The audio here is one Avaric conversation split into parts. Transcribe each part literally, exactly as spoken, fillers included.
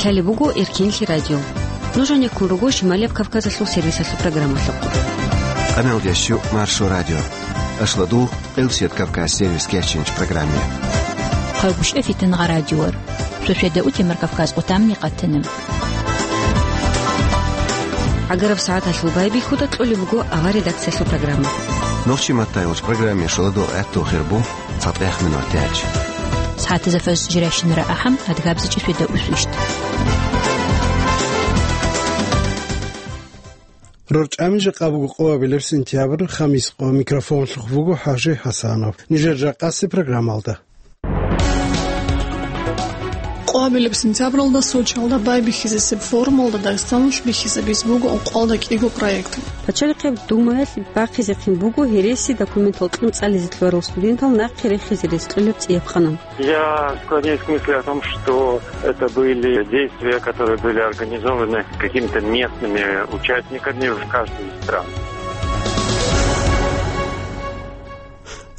Гьале буго Эркенлъи радио. Нуж гьанеккун руго Шималияб Кавказалъул сервисалъул программалъухъ. Къамелдещу Маршо радио. Ашладу Къилсият Кавказ сервис кечинч программе. Хъайгъушев Фитнагъа радиор. Шошведа утемар Кавказ къутамни къатана. ГӀагараб сагӀаталъул байбихьуда кьолеб буго авар редакциялъул программа. Нохчи маттайолч программе шоладо гӀатту хирбу. ЦатӀех минутач. СагӀатазда фаз жирайщинара ахӀам, адгабзичӀи феда усвищт. РорчӀами жакъа буго къоабилеб сентябрь, хамис къо, микрофонлъухъ буго ХӀажи ХӀасанов. Нижер жакъаси программалда. Къоабилеб сентябралда Сочиялда байбихьизесеб форумалда Дагъистаналъ бихьизабиз буго ункъоялда кӀиго проект. Пачалихъеб Думаялъ бахъизехъин буго гьереси документал кьун цӀализе лъугьарал студентал нахъе рехизе рес кьолеб цӀияб къанун. Я склоняюсь к мысли о том, что это были действия, которые были организованы какими-то местными участниками в каждой из стран.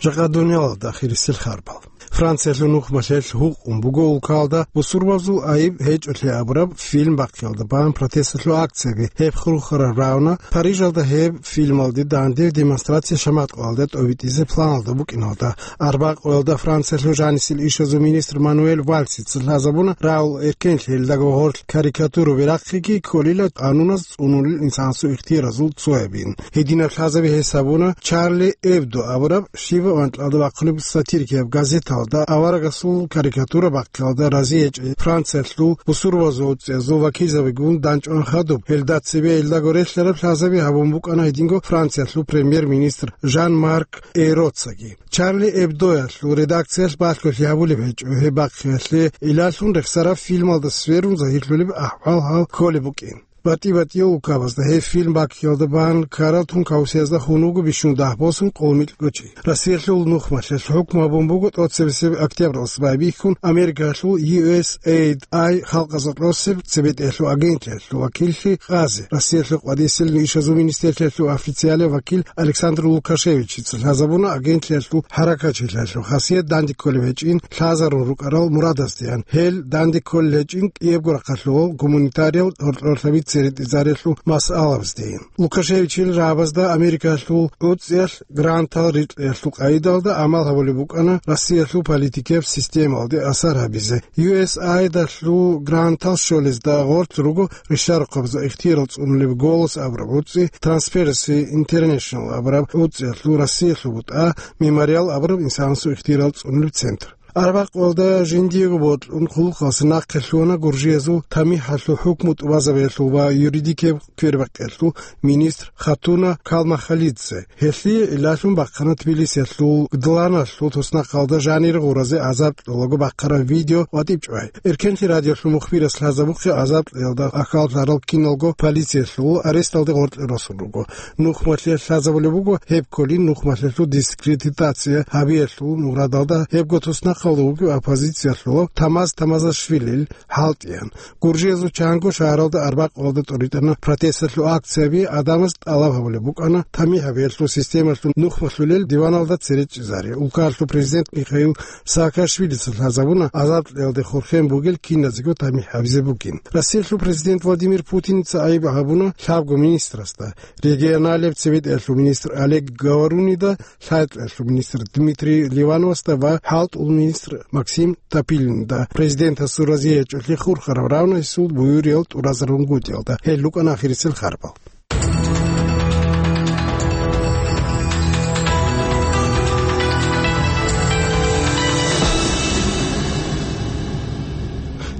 Жакъа дуниялалда хирисел харбал. Франциялъул нухмалъелъ гьукъун буго улкалда бусурбабазул айиб гьечӀолъи абураб фильм бахъиялда бан протесталъул акцияби. Гьеб хурхараб равна Парижалда гьеб фильмалде данде демонстрация шаматкъоялда тӀобитӀизе планалда букӀиналда. Арбакъоялда Франциялъул жанисел ишазул министр Мануэль Вальсица лъазабуна рагӀул эркенлъи гьелдаго гъорлъ карикатураби рахъиги кколила къануназ цӀунулел инсанасул ихтияразул цоябин. Гьединаб лъазаби гьес гьабуна Чарли Эбдо абураб щибаб анкьалда бахъулеб сатирикияб газеталда аварагасул карикатура бахъиялда рази гьечӀей Франциялъул бусурбабазул уцӀиязул вакилзабигун данчӀван хадуб. Гьелда цебе гьелдаго релълъараб лъазаби гьабун букӀана гьединго Франциялъул премьер-министр Жан-Марк Эйроцаги. Чарли Эбдоялъул редакциялъ балъголъи гьабулеб гьечӀо гьеб бахъиялъе, илалъун рехсараб фильмалда сверун загьирлъулеб ахӀвал гьал кколеб букӀин. БатӀи-батӀиял улкабазда гьеб фильм бахъиялда бан ккарал тункаусиязда хун вуго бищун дагь босун къолмикьго чи. Россиялъул нухмалъелъ хӀукму гьабун буго тӀоцебесеб октябралъ байбихьун Америкалъул ю эс эй ай халкъазда кьосеб цебетӀеялъул агентлъиялъул вакиллъи Къази, Россиялъул къвадисел ишазул министрлъиялъул официалияв вакил Александр Лукашевичица лъазабуна агентлъиялъул хӀаракатчилъиялъул хасият данде кколеб гьечӀин лъазарун рукӀарал мурадаздеян. Гьел данде кколел гьечӀин кӀиябго рахъалъувал гуманитариял гьоркьорлъаби церетӀизариялъул масъалабаздейин. Лукашевичил рагӀабазда Америкалъул уцӀиялъ грантал рикьиялъул къагӀидалда гӀамал гьабулеб букӀана Россиялъул политикияб системалде асар гьабизе. Ю эс ай далъул грантал щолезда гъорлъ руго ришарухъабазул ихтиярал цӀунулеб «Голос» абураб уцӀи, Transparency International абураб уцӀиялъул Россиялъул бутӀа, Мемориал абураб инсанасул ихтиярал цӀунулеб центр. Арбакъвалда жиндиего бокьун хъулухъалъе нахъе лъугьана Гуржиязул тамихӀалъул хӀукму тӀубазабиялъул ва юридикияб квербакъиялъул министр Хатуна Калмахалидзе. Гьелъие гӀиллалъун бахъана Тбилисиялъул Гдланалъул туснахъалда жанир гъуразе азаб кьолаго бахъараб видео ва тӀибчӀвай. Эркенлъи радиолъул мухбирас лъазабухъе азаб кьеялда ахьаллъарал киналго полициялъул аресталде гъоркье росун руго. Нухмалъе лъазабулеб буго гьеб кколин нухмалъелъул дискредитация гьабиялъул мурадалда гьебго туснахъалда вугев оппозициялъулав Тамаз Тамазашвилил хӀалтӀиян. Гуржиязул чанго шагьаралда арбакъалда тӀуритӀана протесталъул акцияби, гӀадамаз тӀалаб гьабулеб букӀана тамихӀ гьабиялъул системалъул нухмалъулел диваналда цере чӀезари. Улкаялъул президент Михаил Саакашвилица лъазабуна азадкьиялде хурхен бугел киназего тамихӀ гьабизе бугин. Россиялъул президент Владимир Путиница айиб гьабуна лъабго министрасда, регионалияб цебетӀеялъул министр Олег Говорунида, лъайкьалъул министр Дмитрий Ливановасда ва хӀалтӀул министр Максим Топилинда. Президентасул разиячӀулъе хурхараб равнайсул буюриял тӀуразарун гутӀиялда. Гьел рукӀана ахирисел харбал.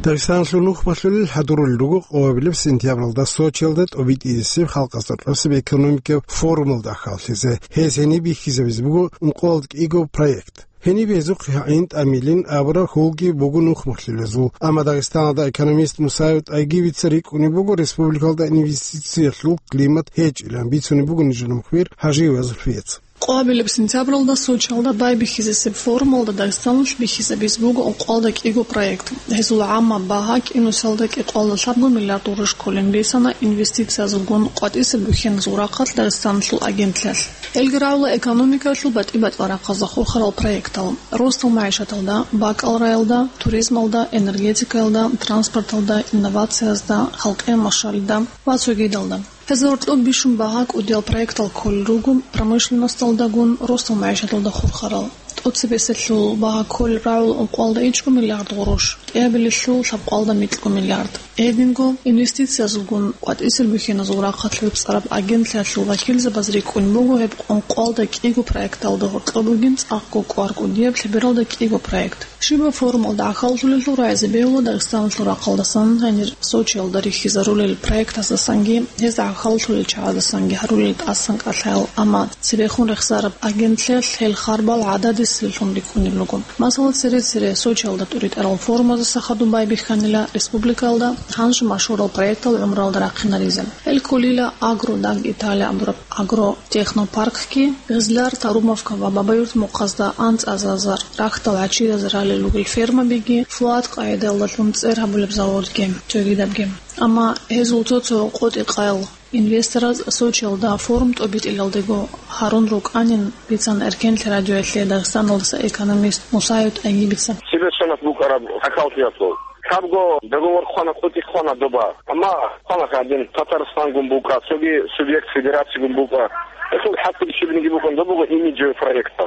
Дагъистаналъул нухмалъулел хӀадурулел руго къоабилеб сентябралда Сочиялда тӀобитӀизесеб халкъазда кьосеб экономикаб форумалда ахьаллъизе. Гьез гьениб бихьизабизе буго ункъоялда кӀиго проект. Гьениб гьезухъ гӀин тӀамилин абураб хьулги буго нухмалъулезул. Амма Дагъистаналда экономист Мусаев ТӀайгибица рикӀкӀунеб буго республикалда инвестициялъул климат гьечӀилан, бицунеб буго нижер мухбир ХӀажиева Зульфияца. Къоабилеб сентябралда Сочиялда байбихьизесеб форумалда Дагъистаналъ бихьизабиз буго ункъоялда кӀиго проект. Гьезул гӀаммаб багьа кӀинусиялда кӀикъоялда лъабго миллиард гъурущ кколин бицана. Инвестициязулгун къватӀисеб бухьиназул рахъалъ Дагъистаналъул агентлъиялъ. Гьелги рагӀула экономикаялъул батӀи-батӀиял рахъазда хурхарал проектал: росдал магӀишаталда, бакӀал раялда, туризмалда, энергетикаялда, транспорталда, инновациязда, халкъиял машгьалда ва цогидалда. Гьезда гьоркьоб бищун багьа кӀудиял проектал кколел руго промышленносталдагун росдал магӀишаталда хурхарал. ТӀоцебесеб багьа кколел рагӀула ункъоялда ичӀго миллиард гъурущ, кӀиабилелъул лъабкъоялда микьго миллиард. Гьединго инвестициязулгун къватӀисел бихьиназул рахъалъ вецӀцӀараб агентлъиялъул вакилзабаз рикӀкӀун буго гьеб ункъоялда кӀиго проекталда гьоркьоб бугин цӀакъго кӀвар кӀудияб лъебералда кӀиго проект. Щибаб форумалда гӀахьаллъулелъул рагӀизе бегьула Дагъистаналъул рахъалдасан гьанир Сочиялда рихьизарулел проектаздасанги, гьезда гӀахьаллъулел чагӀаздасанги гьарулел тӀасан кӀалъаял, амма цебехун рехсараб агентлъиялъ гьел харбал гӀададисезуллъун рикӀкӀунеб буго. Масала, цере-цере Сочиялда тӀуритӀарал форумаздаса хадуб байбихьанила республикаялда гьанже машгьурал проектал гӀумруялда рахъинаризе. Гьел кколила «Агродаг Италия» абураб агротехнопаркги, Гъизлар, Тарумовка ва Бабаюрт мухъазда анцӀазазар рахьдал гӀачияз ралел ругел фермабиги, Фуат къагӀидаялдалъун цӀер гьабулеб заводги, цогидабги. Амма гьезул цо-цо къотӀи-къаял инвестораз Сочиялда форум тӀобитӀилалдего гьарун рукӀанин, бицана Эркенлъи радиоялъе Дагъистаналдаса экономист Мусаев ТӀайибица. Цебе сонат букӀараб гӀахьаллъиялъул. Лъабго договор хъвана, къотӀи хъвана доба. Амма хъвана гьадин Татарстангун букӀа, цоги субъект федерацигун букӀа. Гьелъул хӀакъалъулъ щибниги букӀун, доб буго имиджевый проект.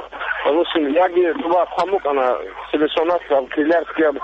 Гьанусин яги доба хъван букӀана цебе сонат гьаб Кизлярскияб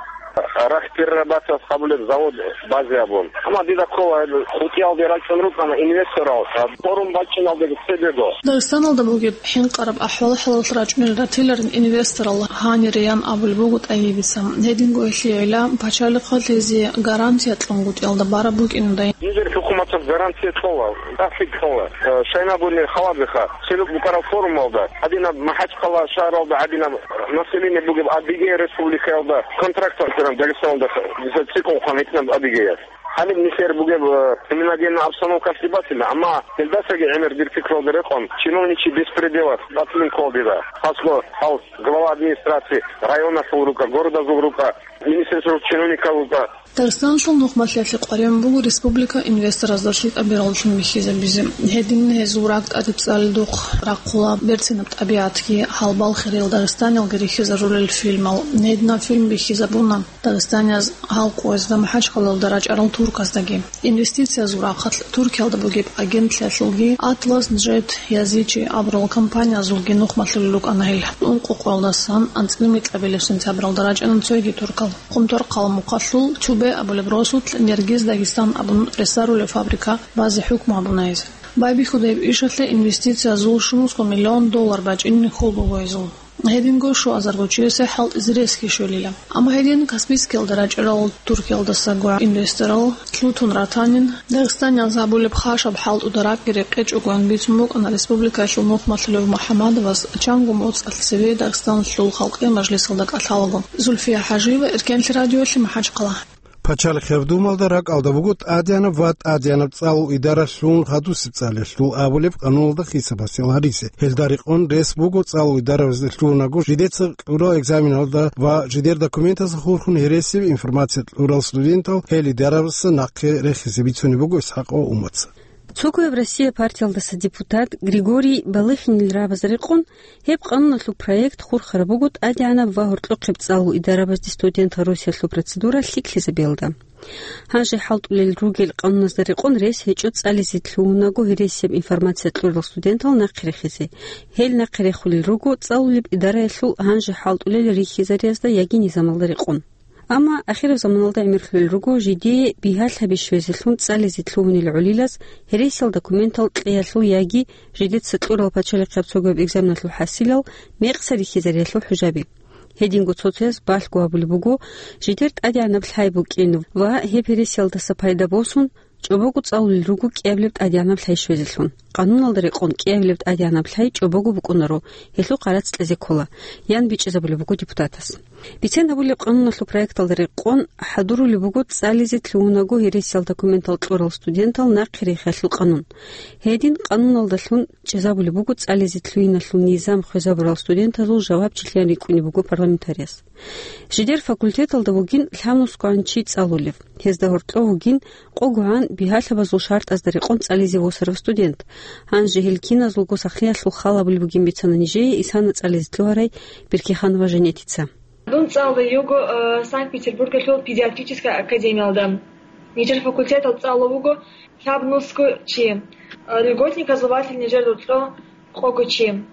рахь перерабатывать гьабулеб завод базе абун. Амма дида ккола гьеб хутӀиялде рачӀун рукӀана инвесторал, форум бачӀиналдего цебего. Дагъистаналда бугеб хӀинкъараб ахӀвал-хӀалалъ рачӀунел ратиларин инвесторал гьаниреян абулеб буго ТӀайибица. Гьединго гьелъие гӀела пачалихъалъ гьезие гарантия кьунгутӀиялда бараб букӀиндай. Нижер хӀукуматалъ гарантия кьола, тӀахьи кьола. Э, шайнабуни халабиха, цебе букӀараб форумалда, гьадинаб МахӀачхъала шагьаралда, гьадинаб население бугеб Адыгея республикаялда контракт гьабилан Дагъистаналда, дица цӀикӀкӀун хъван гьитинаб Адыгея. Гьаниб нилъер бугеб, э, криминогенная обстановка лъибатила, амма гьелдасаги гӀемер дир пикралда рекъон чиновничий беспределас батилин ккола дида. Хасло гьал глава администрации районалъул рукӀа, городазул рукӀа, министерствоялъул чиновникал рукӀа. Дагъистаналъул нухмалъиялъе къваригӀун буго республика инвесторазда лъикӀаб бераллъун бихьизабизе. Гьедин гьезул ракӀ тӀадибцӀалидухъ рахъула берцинаб тӀабигӀатги, гьалбал хириял дагъистаниялги рихьизарулел фильмал. Гьединаб фильм бихьизабуна дагъистанияз гьал къоязда МахӀачхъалаялда рачӀарал турказдаги. Инвестициязул рахъалъ Туркиялда бугеб агентлъиялъулги Атлас Джет Язичи абурал компаниязулги нухмалъулел рукӀана гьел. Ункъо къоялдасан анцӀила микьабилеб сентябралда рачӀана цоги туркал. Хъумторхъала мухъалъул Тюбе абулеб росулъ Нергиз Дагестан абун ресарулеб фабрика базе хӀукму гьабуна гьез. Байбихьуда гьеб ишалъе инвестициязул щунусго миллион доллар бачӀинин хьул буго гьезул. Гьединго щуазарго чиясе хӀалтӀизе ресги щолила. Амма гьедин Каспийскиялда рачӀарал Туркиялдасаго инвесторал лъутун ратанин, дагъистанияз гьабулеб хашаб хӀалтӀуда ракӀги рекъечӀогоян бицун букӀана республикаялъул нухмалъулев МухӀаммадовас чанго моцӀалъ цеве Дагъистаналъул Халкъиял Мажлисалда кӀалъалаго. Зульфия ХӀажиева, Эркенлъи радиоялъе, МахӀачхъала. Пачалихъ Гьавдумалда ракӀалда буго тӀадегӀанаб ва тӀадегӀанаб цӀалул идаралъун гьадусеб цӀалиялъул абулеб къануналда хисабасел гьаризе. Гьелда рекъон рес буго цӀалул идарабазде лъугьунаго жидеца кьурал экзаменалда ва жидер документазда хурхун гьересияб информация кьурал студентал гьел идарабазда нахъе рехизе бицунеб буго ИсхӀакъов Умаца. Цогояб Россия партиялдаса депутат Григорий Балыхинил рагӀабазда рекъон, гьеб къануналъул проект хурхараб буго тӀадегӀанаб ва гьоркьохъеб цӀалул идарабазде студентал росиялъул процедура лъикӀлъизабиялда. Гьанже хӀалтӀулел ругел къануназда рекъон рес гьечӀо цӀализе лъугьунаго гьересияб информация кьурал студентал нахъе рехизе. Гьел нахъе рехулел руго цӀалулеб идараялъул гьанже хӀалтӀулел рихьизариязда яги низамалда рекъон. Амма ахираб заманалда гӀемерлъулел руго жидее бигьалъаби щвезелъун цӀализе лъугьунел гӀолилаз гьересиял документал кьеялъул яги жидеца кьурал пачалихъияб цогояб экзаменалъул хӀасилал мекъса рихьизариялъул хӀужаби. Гьединго цо-цояз балъго гьабулеб буго жидер тӀадегӀанаб лъай букӀин ва гьеб гьересиялдаса пайда босун, чӀобого цӀалулел руго кӀиабилеб тӀадегӀанаб лъай щвезелъун. Къануналда рекъон кӀиабилеб тӀадегӀанаб лъай чӀобого букӀунаро, гьелъул къарац кьезе ккола, ян бичӀчӀизабулеб буго депутатас. Бицен гьабулеб къануналъул проекталда рекъон хӀадурулеб буго цӀализе лъугьунаго гьересиял документал кьурал студентал нахъе рехиялъул къанун. Гьедин къануналдалъун чӀезабулеб буго цӀализе лъугьиналъул низам хвезабурал студентазул жавабчилъиян рикӀкӀунеб буго парламентарияс. Жидер факультеталда вугин лъабнусгогӀан чи цӀалулев. Гьезда гьоркьов вугин къогогӀан бигьалъабазул шартӀазда рекъон цӀализе восарав студент. Гьанже гьел киназулго сахлъиялъул хал гьабулеб бугин бицана нижее Исана цӀализе лъугьарай Беркиханова Жанетица. Дун цӀалулев вуго, э, Санкт-Петербургалъул педиатрическая академиялда. Нижер факультетал цӀалулев вуго лъабнусго чи, э, льготниказул ватил нижер рокьо къого чи.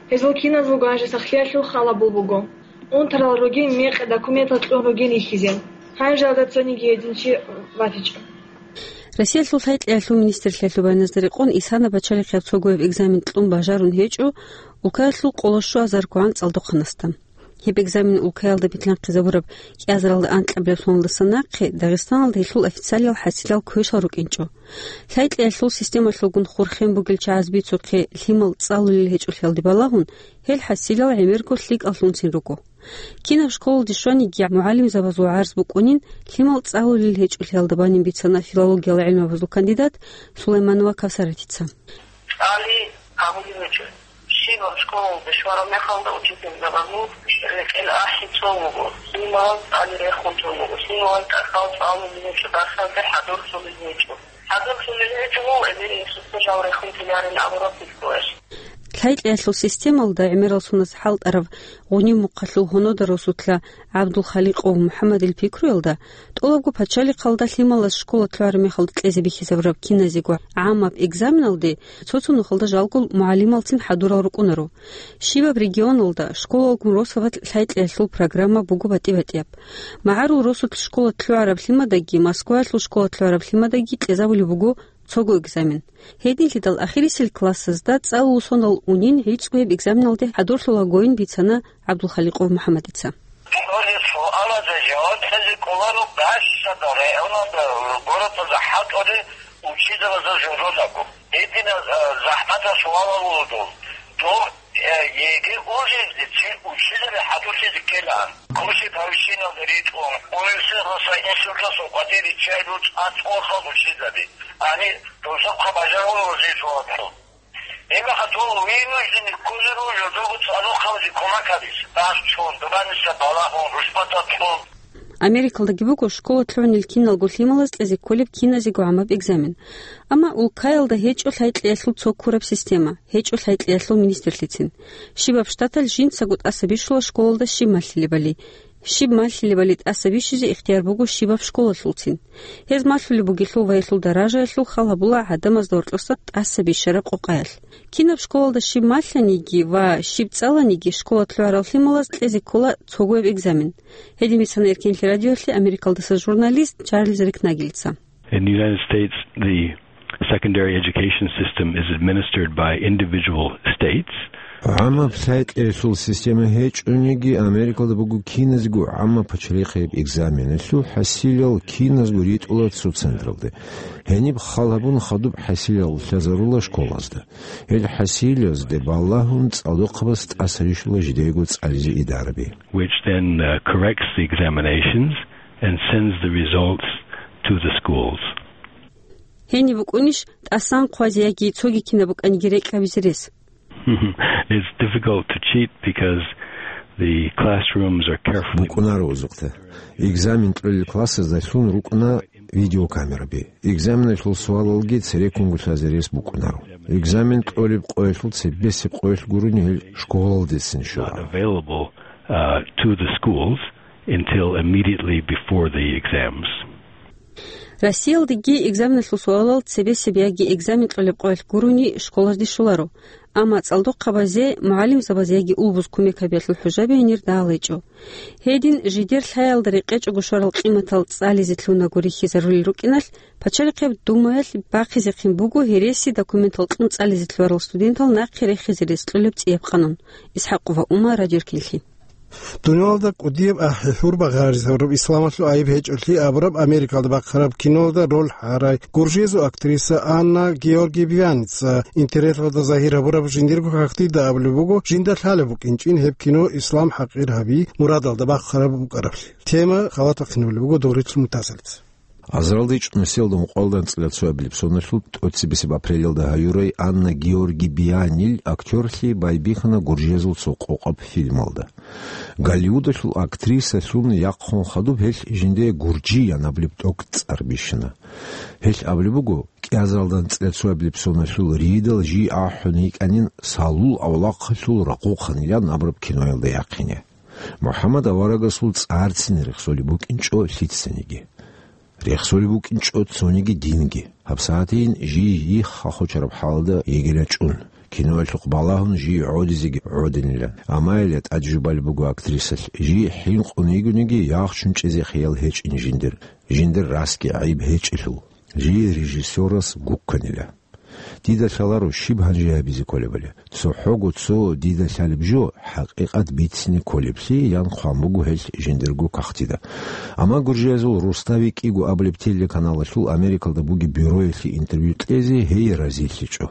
Гьезул киназулго гьанже сахлъиялъул хал гьабулеб буго. Унтарал ругин, мекъи документал кьун ругин рихьизе. Гьанжеялда цониги гьедин чи ватичӀо. Россиялъул лъай-кьеялъул министрлъиялъул баяназда рекъон Исана пачалихъияб цогояб экзамен кьун бажарун гьечӀо улкаялъул къоло щуазаргогӀан цӀалдохъанасда. Гьеб экзамен улкаялда битлъанхъизабураб кӀиазаралда анкьабилеб соналдаса нахъе Дагъистаналда гьелъул официалиял хӀасилал квешал рукӀинчӀо. Лъай-кьеялъул системалъулгун хурхен бугел чагӀаз бицухъе лъимал цӀалулел гьечӀолъиялде балагьун, гьел хӀасилал гӀемерго лъикӀаллъунцин руго. Кинаб школалде щваниги, мугӀалимзабазул гӀарз букӀунин лъимал цӀалулел гьечӀолъиялда банин бицана филологиял гӀилмабазул кандидат Сулайманова Кавсаратица. ЦӀали гьабулеб гьечӀо. Щибаб школалде щвараб мехалда учительзабазул рекӀел ахӀи цо вуго, лъималаз цӀали рехун тун вуго, лъималаз тӀахьал цӀалулел гьечӀо дарсазде хӀадурлъулел гьечӀо. ХӀадурлъулел гьечӀо, гьев эбел-инсуца жал рехун тунарин абураб пикруялъ. Лъай-кьеялъул системалда гӀемерал суназ хӀалтӀарав Гъуниб мухъалъул гьунуда росулъа ГӀабдулхаликъов МухӀаммадил пикруялда, тӀолабго пачалихъалда лъималаз школа лъугӀараб мехалда кьезе бихьизабураб киназего гӀамаб экзаменалде цо-цо нухалда жалго мугӀалималцин хӀадурал рукӀунаро. Щибаб регионалда, школалгун росабалъ лъай-кьеялъул программа буго батӀи-батӀияб. МагӀарул росулъ школа лъугӀараб лъимадаги Москваялъул школа лъугӀараб лъимадаги кьезабулеб буго цого экзамен. Гьединлъидал ахирисел классазда цӀалул сонал унин гӀицӀго гьеб экзаменалде хӀадурлъулагойин бицана ГӀабдулхаликъов МухӀаммадица. Гьаниб суалазда жаваб кьезе кӀоларо бащада районалда, городалда хӀалтӀулел учителазул жугьутӀазго. Гьединал, а, захӀматал суалал руго дол. Доб, э, ЕГЭ уллизецин учителал хӀадурлъизе ккелаан. Курси повышениялда ритӀун, университеталдаса институталъул къватӀире чӀайилан цӀакъ халкъ учителаби. Гьаниб досухъа бажарулел жо жаваб кьун. Гьебмехалъ дол вынужденный кколел руго доб цӀалулел хабазе кумек гьабизе, бахчун, дубаниса балагьун, рушбатӀа кьун. Америкалдаги буго школа лъугӀунел киналго лъималаз кьезе кколеб киназего гӀамаб экзамен. Амма улкаялда гьечӀо лъай-кьеялъул цо ккураб система, гьечӀо лъай-кьеялъул министрлъицин. Щибаб штаталъ жинцаго тӀаса бищула школалда щиб малъилебали. Щиб малъилебали тӀаса бищизе ихтияр буго щибаб школалъулцин. Гьез малъулеб бугелъул ва гьелъул даражаялъул хал гьабула гӀадамазда гьоркьоса тӀаса бищараб къокъаялъ. Кинаб школалда щиб малъаниги ва щиб цӀаланиги, школа лъугӀарал лъималаз кьезе ккола цогояб экзамен. Гьедин бицана Эркенлъи радиоялъе Америкалдаса журналист Чарльз Рикнагельца. In the United States, the secondary education system is administered by individual states. ГӀамаб лъай-кьеялъул система гьечӀониги, Америкалда буго киназго гӀамаб пачалихъияб экзаменалъул хӀасилал киназго ритӀула цо централде. Гьениб хал гьабун хадуб хӀасилал лъазарула школазда. Гьел хӀасилазде балагьун цӀалдохъабаз тӀаса рищула жидего цӀализе идараби. Which then, uh, corrects the examinations and sends the results to the schools. Гьениб букӀунищ тӀасан хъвазе яги цоги кинаб букӀаниги рекӀкӀабизе рес? It's difficult to cheat because the classrooms are carefully... БукӀунаро узухъе. Экзамен кьолел классазда лъун рукӀуна видеокамераби. Экзаменалъул суалалги цереккунго лъазе рес букӀунаро. Экзамен кьолеб къоялъул цебесеб къоялъ гурони гьел школалдецин щвараб. Available, uh, to the schools until immediately before the exams. Россиялдаги экзаменалъул суалал цебесеб яги экзамен кьолеб къоялъ гурони школазде щоларо. Амма цӀалдохъабазе, мугӀалимзабазе яги улбуз кумек гьабиялъул хӀужаби гьенир дагьал гьечӀо. Гьедин, жидер лъаялда рекъечӀого щварал къиматал цӀализе лъунаго рихьизарулел рукӀиналъ, Пачалихъеб Думаялъ бахъизехъин буго гьереси документал кьун цӀализе лъугьарал студентал нахъе рехизе рес кьолеб цӀияб къанун. Исхакъова Ума, Радио Эркенлъи. Дуниялда кӀудияб ахӀи-хӀурба гъаризабураб исламалъул айиб гьечӀолъи абураб Америкалда бахъараб кинолда роль гьарай гуржезул актриса Анна Георгиеваница интернеталда загьир гьабураб жиндирго хахтида абулеб буго, жинда лъалеб букӀинчӀин гьеб кино ислам хӀакъир гьаби мурадалда бахъараб букӀараблъи. Тема халатахъинабулеб буго Догърилъул мутасалица. Азаралда ичӀнусиялда ункъоялда анцӀила цоабилеб соналъул тӀоцебесеб апрелалда гьаюрай Анна Георги Бианил актёрлъи байбихьана гуржиязул цо къокъаб фильмалда. Голливудалъул актрисалъун яхъун хадуб гьелъ жинде гуржиян абулеб тӀокӀцӀар бищана. Гьелъ абулеб буго, кӀиазаралда анцӀила цоабилеб соналъул ридал жий ахӀун йикӀанин салул авлахъалъул рахъухъанилан абураб киноялда яхъине. МухӀаммад аварагасул цӀарцин рехсолеб букӀинчӀо лъицаниги. Рехсолеб букӀинчӀо цониги динги. ГьабсагӀатейин жий йихха хочараб хӀалда йигила чӀун. Киноялъухъ балагьун жий гӀодизеги гӀодинилан. Амма гьеле тӀад жубалеб буго актрисалъ, жий хӀинкъун йигониги, яхчун чӀезе хиял гьечӀин жиндир, жиндир расги гӀайиб гьечӀелъул, жий режиссёрас гукканила. Дида лъаларо щиб гьанже гьабизе кколебали. ЦохӀого цо дида лъалеб жо, хӀакъикъат бицине кколеблъи, ян хъван буго гьелъ жиндирго кагътида. Амма гуржиязул Рустави кӀиго абулеб телеканалалъул Америкалда бугеб бюроялъе интервью кьезе гьей разилъичӀо.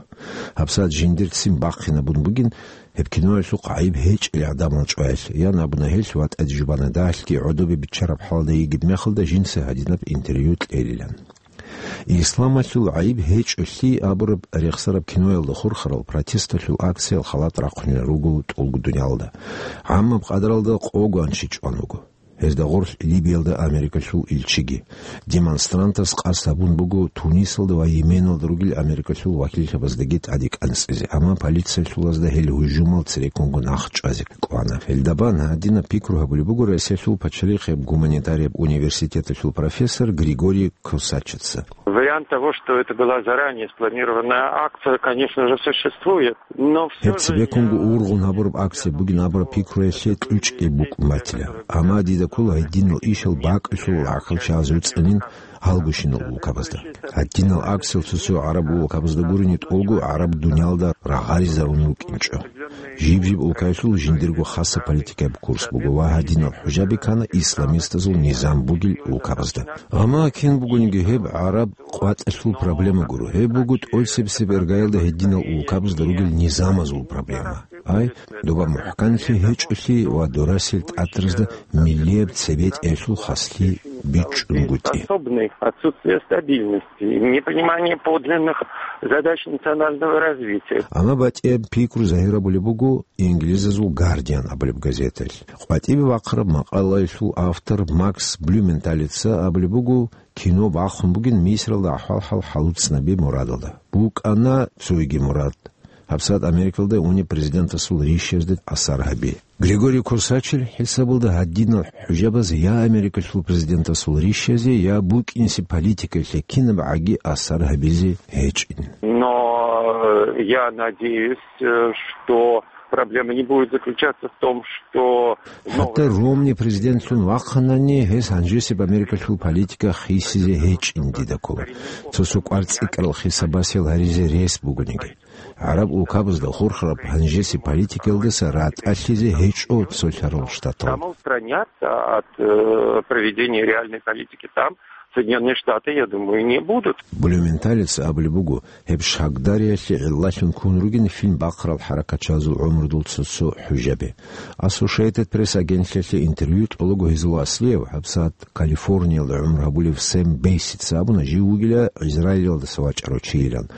ГьабсагӀат жиндир ццин бахъинабун бугин, гьеб киноялъухъ гӀайиб гьечӀел гӀадамал чӀваялъ, ян абуна гьелъ ва тӀаде жубана дагьалъги гӀодобе биччараб хӀалда йигеб мехалда жинца гьадинаб интервью кьелилан. Исламалъул гӀайиб гьечӀолъи абураб рехсараб киноялда хурхарал протесталъул акциял халат рахъунел руго тӀолго дуниялда. ГӀаммаб къадаралда къого анщи чӀван вуго. Гьезда гъорлъ Либиялда Америкалъул илчиги. Демонстрантас къасд гьабун буго Тунисалда ва Йеменалда ругел Америкалъул вакиллъабаздаги тӀаде кӀанцӀизе, амма полициялъулазда гьел гьужумал цереккунго нахъ чӀвазе кӀвана. Гьелда бан гьадинаб пикру гьабулеб буго Россиялъул пачалихъияб гуманитарияб университеталъул профессор Григорий Косачица. Вариант того, что это была заранее спланированная акция, конечно же, существует, но всё Гьеб же цебеккунго я ургъун гьабураб акция бугин абураб пикруялъе кьучӀги букӀун батила. Амма дида ккола гьединал ишал бакӀалъулал гӀахьалчагӀаз вуцӀанин гьалгощинал улкабазда. Гьадинал акциял цо-цо гӀараб улкабазда гурони тӀолго гӀараб дуниялда рагъаризарун рукӀинчӀо. Жиб-жиб улкаялъул жиндирго хаса политикаяб курс буго ва гьадинал хӀужаби ккана исламистазул низам бугел улкабазда. Амма кин бугониги гьеб гӀараб къватӀалъул проблема гуро. Гьеб буго тӀоцебесеб иргаялда гьединал улкабазда ругел низамазул проблема. Ай, доба мухӀканлъи гьечӀолъи ва дурасел тӀатразда миллияб цебетӀеялъул хаслъи бичӀчӀунгутӀи. Особенный отсутствие стабильности, непонимание подлинных задач национального развития. Амма батӀияб пикру загьирабулеб буго инглизазул Гардиан абулеб газеталъ. КъватӀибе бахъараб макъалаялъул автор Макс Блюменталица абулеб буго, кино бахъун бугин Мисралда ахӀвал-хӀал хӀалуцӀнаби мурадалда. БукӀана цоги мурад. ГьабсагӀат Америкалда унеб президентасул рищазде асар гьаби. Григорий Косачил хӀисабалда гьадинал хӀужабаз я Америкалъул президентасул рищазе, я букӀинси политикаялъе кинабгӀаги асар гьабизе гьечӀин. Но, э, я надеюсь, э, что проблема не будет заключаться в том, что ХӀатта Ромни президентлъун вахъанани, гьес гьанжесеб Америкалъул политика хисизе гьечӀин дида ккола. Цо-цо кӀвар цӀикӀкӀарал хисабасел гьаризе рес бугониги. ГӀараб улкабазда хурхараб гьанжесеб политикаялдаса ратӀалъизе гьечӀо Цолъарал Штатал. Самоустранятся от, э, проведения реальной политики там Соединённые Штаты, я думаю, не будут. Блюменталица абулеб буго, гьеб шагдариялъе гӀиллалъун ккун ругин фильм бахъарал хӀаракатчагӀазул гӀумрудул цо-цо хӀужаби. Associated Press агентлъиялъе интервью кьолаго гьезул аслияв, гьабсагӀат Калифорниялда гӀумру гьабулев Сэм Бейсица абуна, жив вугила Израилалдаса вачӀарав чийилан.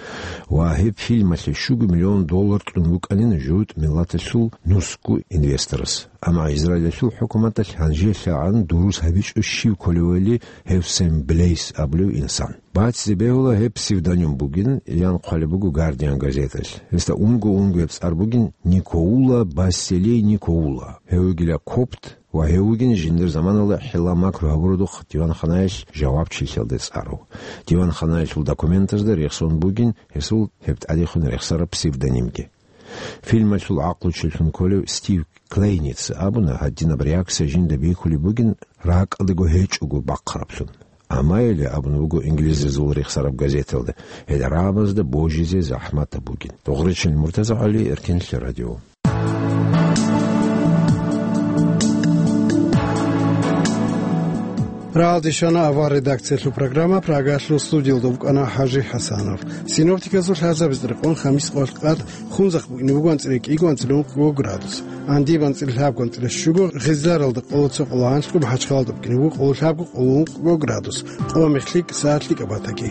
Ва гьеб фильмалъе щуго миллион доллар кьун букӀанин жугьутӀ миллаталъул нусго инвесторас. Амма Израилалъул хӀукуматалъ гьанжелъагӀан дурус гьабичӀо щив кколевали гьев Сэм Блейс абулев инсан. Бацде бегьула гьеб псевдоним бугин, ян хъвалеб буго Гардиан газеталъ. Гьесда унго-унгояб цӀар бугин Никоула Басселей Никоула. Гьев вугила копт ва гьев вугин жиндир заманалда хӀилла-макру гьабурудухъ диванханаялъ жавабчилъиялде цӀарав. Диванханаялъул документазда рехсон бугин гьесул гьеб тӀадехун рехсараб псевдонимги. Фильмалъул гӀакълучилъун кколев Стив Клейница абуна, гьадинаб реакция жинда бихьулеб бугин ракӀалдаго гьечӀого бахъараблъун. Амма гьеле абун буго инглизазул рехсараб газеталда, гьел рагӀабазда божизе захӀматаб бугин. Дугъричил Муртаза ГӀали, Эркенлъи радио. Рагьалде щвана авар редакциялъул программа, Прагалъул студиялда вукӀана ХӀажи ХӀасанов. Синоптиказул лъазабиз рекъон хамис къоялъ къад Хунзахъ букӀине буго анцӀила кӀиго, анцӀила ункъго градус. Андиб анцӀила лъабго, анцӀила щуго, Гъизларалда къоло цо, къоло гьанлъго, МахӀачхъалалда букӀине буго къоло лъабго, къоло ункъго градус. Къо мехлъи сагӀат лъикӀаб батаги.